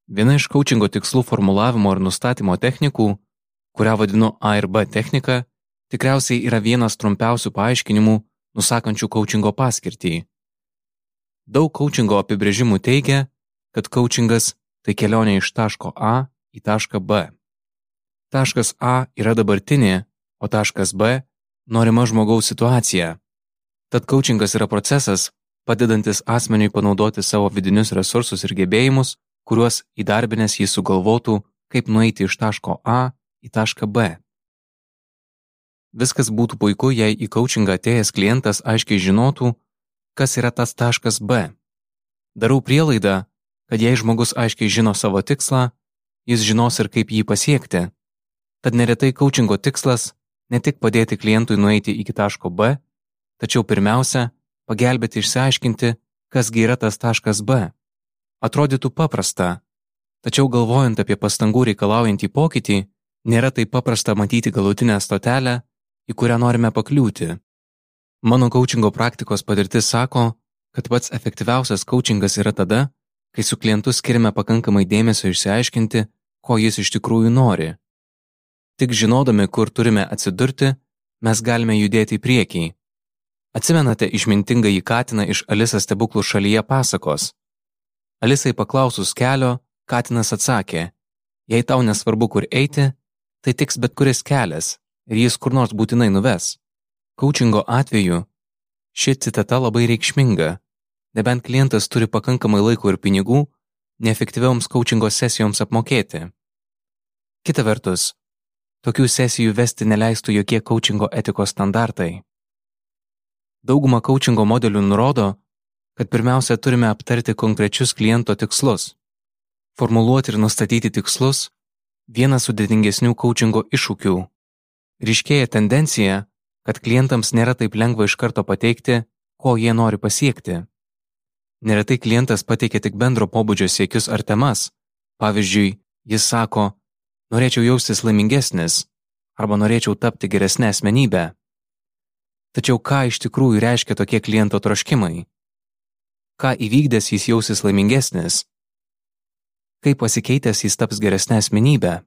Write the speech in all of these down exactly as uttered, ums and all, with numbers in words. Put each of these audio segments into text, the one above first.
Viena iš coachingo tikslų formulavimo ir nustatymo technikų, kurią vadinu A ir B technika, tikriausiai yra vienas trumpiausių paaiškinimų, nusakančių coachingo paskirtį. Daug coachingo apibrėžimų teigia, kad coachingas tai kelionė iš taško A į tašką B. Taškas A yra dabartinė, o taškas B norima žmogaus situacija. Tad coachingas yra procesas, padedantis asmeniui panaudoti savo vidinius resursus ir gebėjimus, kuriuos įdarbinęs jis sugalvotų, kaip nueiti iš taško A į tašką B. Viskas būtų puiku, jei į coachingą atėjęs klientas aiškiai žinotų, kas yra tas taškas B. Darau prielaidą, kad jei žmogus aiškiai žino savo tikslą, jis žinos ir kaip jį pasiekti. Tad neretai coachingo tikslas ne tik padėti klientui nueiti iki taško B, tačiau pirmiausia, pagelbėti išsiaiškinti, kasgi yra tas taškas B. Atrodytų paprasta, tačiau galvojant apie pastangų reikalaujantį pokytį, nėra taip paprasta matyti galutinę stotelę, į kurią norime pakliūti. Mano coachingo praktikos patirtis sako, kad pats efektyviausias coachingas yra tada, kai su klientu skiriame pakankamai dėmesio išsiaiškinti, ko jis iš tikrųjų nori. Tik žinodami, kur turime atsidurti, mes galime judėti į priekį. Atsimenate išmintingą į katiną iš Alisa stebuklų šalyje pasakos. Alisai paklausus kelio, katinas atsakė, jei tau nesvarbu, kur eiti, tai tiks bet kuris kelias ir jis kur nors būtinai nuves. Coachingo atveju ši citata labai reikšminga, nebent klientas turi pakankamai laiko ir pinigų neefektyvioms coachingo sesijoms apmokėti. Kita vertus, tokių sesijų vesti neleistų jokie coachingo etikos standartai. Dauguma coachingo modelių nurodo, kad pirmiausia turime aptarti konkrečius kliento tikslus. Formuluoti ir nustatyti tikslus – vienas sudėtingesnių coachingo iššūkių. Ryškėja tendencija, kad klientams nėra taip lengva iš karto pateikti, ko jie nori pasiekti. Neretai klientas pateikia tik bendro pobūdžio siekius ar temas. Pavyzdžiui, jis sako, norėčiau jaustis laimingesnis arba norėčiau tapti geresnę asmenybę. Tačiau ką iš tikrųjų reiškia tokie kliento troškimai? Ką įvykdęs jis jausis laimingesnis? Kaip pasikeitęs jis taps geresnę asmenybę?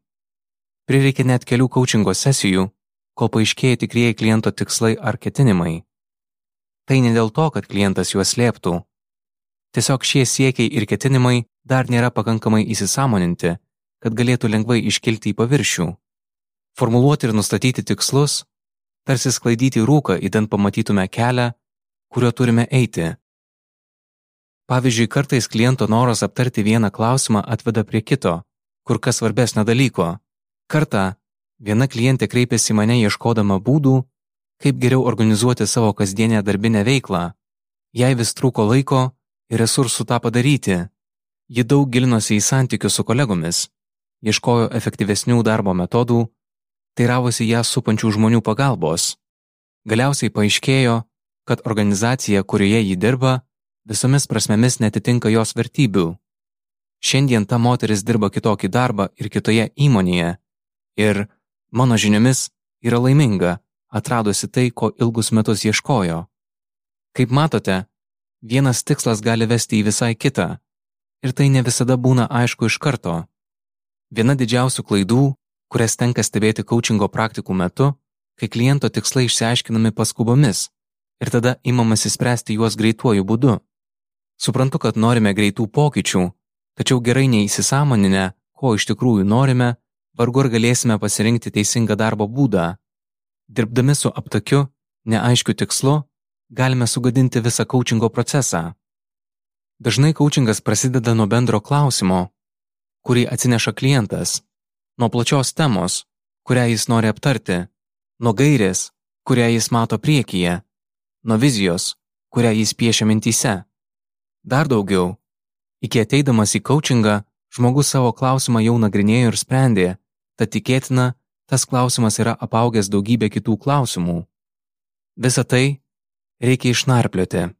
Prireikia net kelių coachingo sesijų, kol paaiškėja tikrieji kliento tikslai ar ketinimai. Tai ne dėl to, kad klientas juos slėptų. Tiesiog šie siekiai ir ketinimai dar nėra pakankamai įsisąmoninti, kad galėtų lengvai iškilti į paviršių. Formuluoti ir nustatyti tikslus, tarsi sklaidyti rūką, idant pamatytume kelią, kuriuo turime eiti. Pavyzdžiui, kartais kliento noras aptarti vieną klausimą atveda prie kito, kur kas svarbesnio dalyko. Kartą viena klientė kreipėsi į mane ieškodama būdų, kaip geriau organizuoti savo kasdienę darbinę veiklą. Jai vis trūko laiko ir resursų tą padaryti. Ji daug gilinosi į santykius su kolegomis, ieškojo efektyvesnių darbo metodų, teiravosi ją supančių žmonių pagalbos. Galiausiai paaiškėjo, kad organizacija, kurioje ji dirba, visomis prasmėmis netitinka jos vertybių. Šiandien ta moteris dirba kitokį darbą ir kitoje įmonėje ir, mano žiniomis, yra laiminga, atradusi tai, ko ilgus metus ieškojo. Kaip matote, vienas tikslas gali vesti į visai kitą ir tai ne visada būna aišku iš karto. Viena didžiausių klaidų, kurias tenka stebėti coachingo praktikų metu, kai kliento tikslai išsiaiškinami paskubomis ir tada imamasi spręsti juos greituoju būdu. Suprantu, kad norime greitų pokyčių, tačiau gerai neįsisąmoninę, ko iš tikrųjų norime, vargu ar galėsime pasirinkti teisingą darbo būdą. Dirbdami su aptakiu, neaiškiu tikslu, galime sugadinti visą coachingo procesą. Dažnai coachingas prasideda nuo bendro klausimo, kurį atsineša klientas, nuo plačios temos, kurią jis nori aptarti, nuo gairės, kurią jis mato priekyje, nuo vizijos, kurią jis piešia mintyse. Dar daugiau, iki ateidamas į coachingą, žmogus savo klausimą jau nagrinėjo ir sprendė, tad tikėtina, tas klausimas yra apaugęs daugybę kitų klausimų. Visą tai reikia išnarplioti.